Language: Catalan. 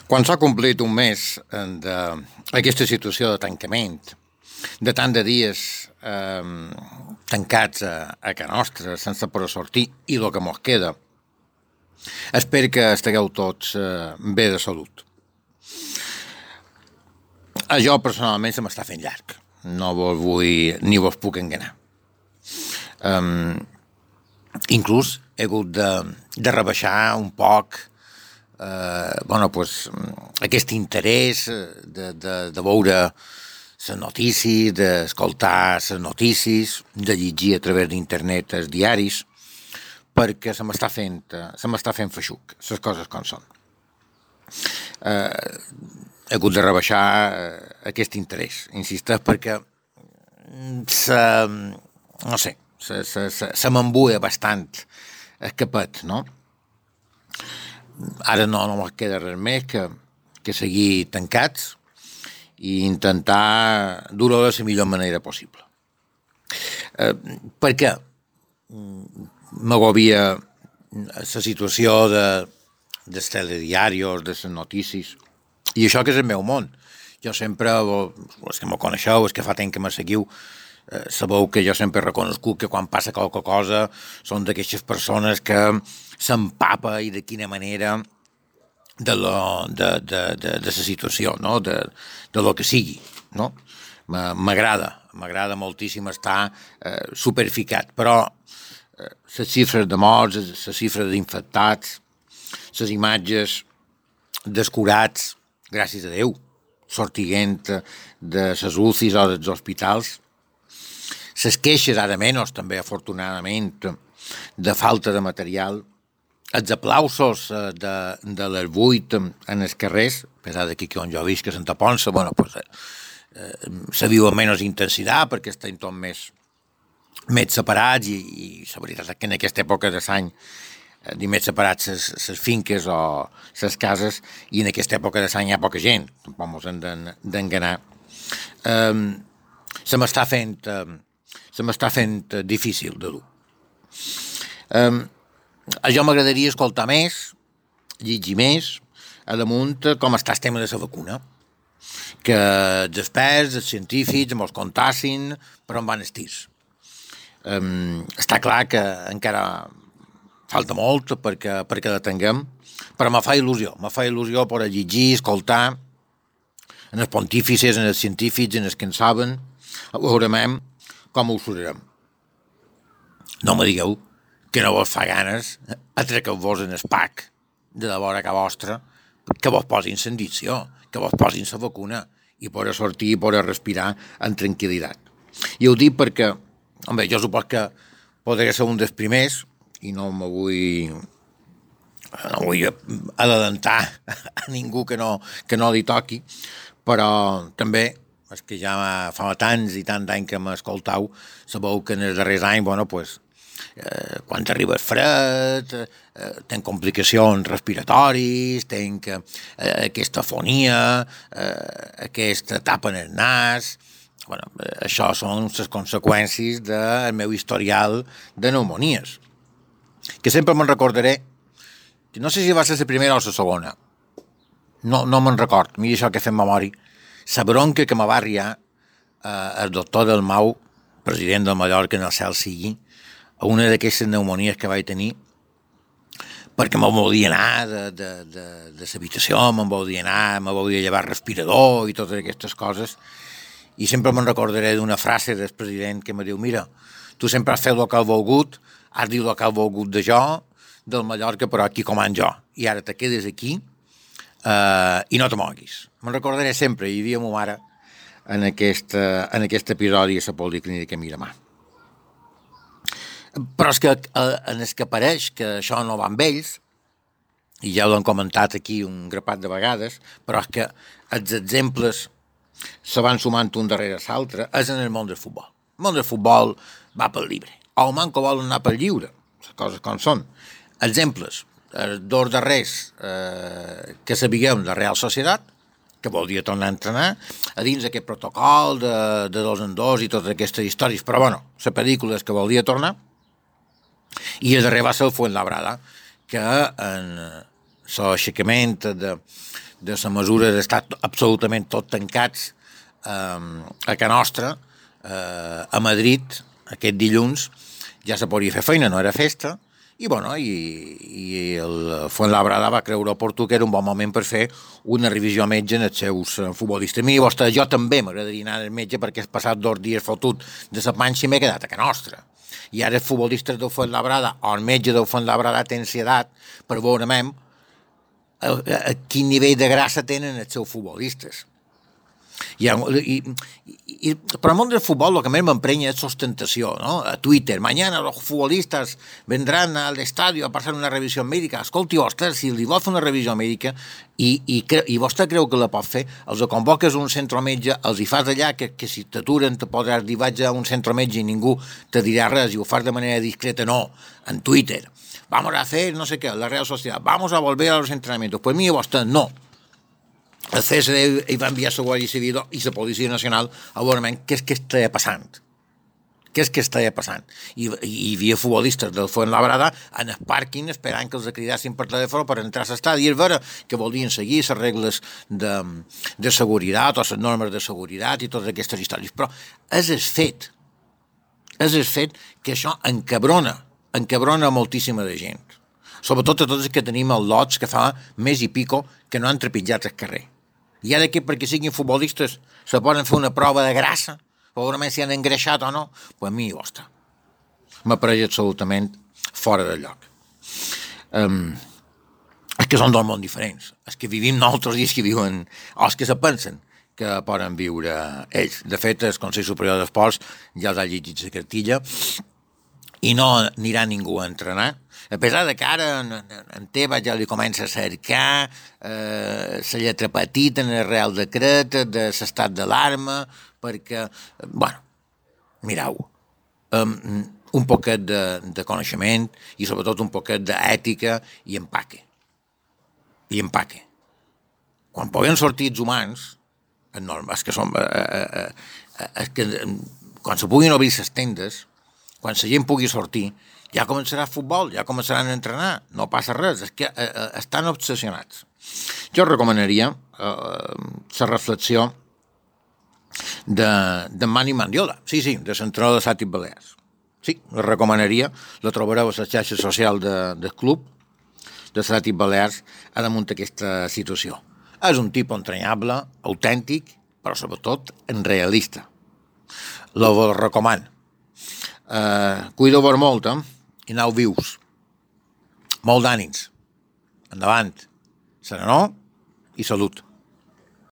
Quan s'ha complit un mes d'aquesta situació de tancament, de tant de dies tancats a casa nostra, sense poder sortir, i el que mos queda, espero que estigueu tots bé de salut. A jo, personalment, se m'està fent llarg. No vos vull ni vos puc enganyar. Inclús he hagut de rebaixar un poc aquest interès de veure les notícies, d'escoltar les notícies, de llegir a través d'internet els diaris, perquè se m'està fent feixuc, les coses com són. He hagut de rebaixar aquest interès, insisteix, perquè se m'embuia bastant el capet, no? Ara no me queda res més que seguir tancats i intentar dur-ho de la millor manera possible. Perquè m'agobia la situació dels telediaris, de les notícies, i això que és el meu món. Jo sempre, els que me coneixeu, els que fa temps que me seguiu, sabeu que jo sempre he reconegut que quan passa qualque cosa són d'aquestes persones que s'empapa i de quina manera de la situació, no? de lo que sigui, no? M'agrada moltíssim estar superficat, però les xifres de morts, les xifres d'infectats, les imatges descurats, gràcies a Déu, sortiguent de les UCIs o dels hospitals, les queixes, ara menys, també, afortunadament, de falta de material, els aplausos de les 8 en els carrers, a pesar d'aquí que on jo visc, que a Santa Ponça, se viu amb menys intensitat perquè estem tots més separats i la veritat és que en aquesta època de l'any més separats les finques o les cases, i en aquesta època de l'any hi ha poca gent, tampoc mos hem d'enganar. Se m'està fent difícil de dur. A jo m'agradaria escoltar més, llegir més, a damunt com està el tema de la vacuna, que els experts, els científics ens contassin per on van els tirs. Està clar que encara falta molt perquè la tinguem, però me fa il·lusió per llegir, escoltar en els pontífices, en els científics, en els que en saben, veurem com ho sortirem. No me digueu que no vos fa ganes atraqueu-vos en el PAC de la vora que vostra, que vos posin l'indicció, que vos posin la vacuna i poder sortir i poder respirar amb tranquil·litat. I ho dic perquè, jo supos que podria ser un dels primers i no vull adelantar a ningú que no li toqui, però també és que ja fa tants i tants anys que m'escoltau, sabeu que en els darrers anys, quan arriba el fred, tenc complicacions respiratoris, tenc aquesta afonia, aquesta tapa en el nas. Això són les conseqüències del meu historial de pneumonies, que sempre me'n recordaré, que no sé si va ser la primera o la segona, no me'n record, mira això que fem memòria, la bronca que me va arriar el doctor Dalmau, president de Mallorca, en el cel sigui, a una d'aquestes pneumonies que vaig tenir, perquè me volia anar de l'habitació, me volia llevar respirador i totes aquestes coses, i sempre me'n recordaré d'una frase del president que me diu: mira, tu sempre has fet el que has volgut, has dit el que has volgut de jo, del Mallorca, però aquí comand jo, i ara te quedes aquí i no te moguis. Me'n recordaré sempre, hi havia ma mare en aquest episodi a la policlínica Miramar. Però és que en el que pareix que això no va amb ells, i ja ho hem comentat aquí un grapat de vegades, però és que els exemples se van sumant un darrere l'altre, és en el món del futbol. El món del futbol va pel llibre, o el manco vol anar pel lliure, les coses com són. Exemples, els dos darrers que sabíem de Real Societat, que volia tornar a entrenar, a dins d'aquest protocol de 2 en 2 i totes aquestes històries, però la pel·lícula és que volia tornar, i el darrer va ser el Fuenlabrada, que l'aixecament de la mesura d'estar absolutament tot tancats a Can Nostra, a Madrid, aquest dilluns, ja se podia fer feina, no era festa, i el Fuenlabrada va creure oportú que era un bon moment per fer una revisió a metge en els seus futbolistes. Mira, jo també m'agradaria anar al metge perquè he passat 2 dies fotut de la panxa i m'he quedat a Can Nostra. I ara els futbolistes del Fuenlabrada o el metge del Fuenlabrada té ansietat per veure a quin nivell de grassa tenen els seus futbolistes. Però el món del futbol el que més m'emprenya és ostentació, no? A Twitter, mañana los futbolistas vendrán al estadio a pasar una revisión médica. Escolti, vostè, si li vol fer una revisió mèdica i vostè creu que la pot fer, els convoques a un centrometge, els hi fas allà que si t'aturen te podràs dir vaig a un centrometge i ningú te dirà res i ho fas de manera discreta, no, en Twitter. Vamos a hacer no sé qué, la Real Sociedad, vamos a volver a los entrenamientos. Pues mira, vostè, no. El CSD hi va enviar la Guàrdia Civil i la Policia Nacional a veure què és que estava passant. Què és que estava passant? I hi havia futbolistes del Fuenlabrada en el pàrquing esperant que els cridassin per telèfon per entrar a l'estadi i és vera que volien seguir les regles de seguretat o les normes de seguretat i totes aquestes històries. Però és el fet que això encabrona moltíssima de gent. Sobretot a tots els que tenim els lots que fa mes i pico que no han trepitjat el carrer. I ara que perquè siguin futbolistes se poden fer una prova de grassa, segurament si han engreixat o no, pues a mi, ostres, m'apareix absolutament fora de lloc. És que són dos mons diferents. Els que vivim nosaltres i els que viuen, o els que se pensen que poden viure ells. De fet, el Consell Superior d'Esports ja els ha llegit la cartilla i no anirà ningú a entrenar, a pesar de que ara en Tebas ja li comença a cercar la lletra petita en el Real Decret de l'estat d'alarma, perquè, mireu, un poquet de coneixement i sobretot un poquet d'ètica i empaque. Quan poden sortir els humans, quan se puguin obrir les tendes, quan la gent pugui sortir, ja començarà el futbol, ja començaran a entrenar, no passa res, és que estan obsessionats. Jo recomanaria la reflexió de Manny Mandiola, sí, de l'entrenador de Sàtic Balears. Sí, la recomanaria, la trobareu a la xarxa social del club de Sàtic Balears a damunt d'aquesta situació. És un tipus entranyable, autèntic, però sobretot realista. Lo recomano. Cuideu-vos molt, i aneu vius. Molt d'ànims. Endavant. Serenor i salut.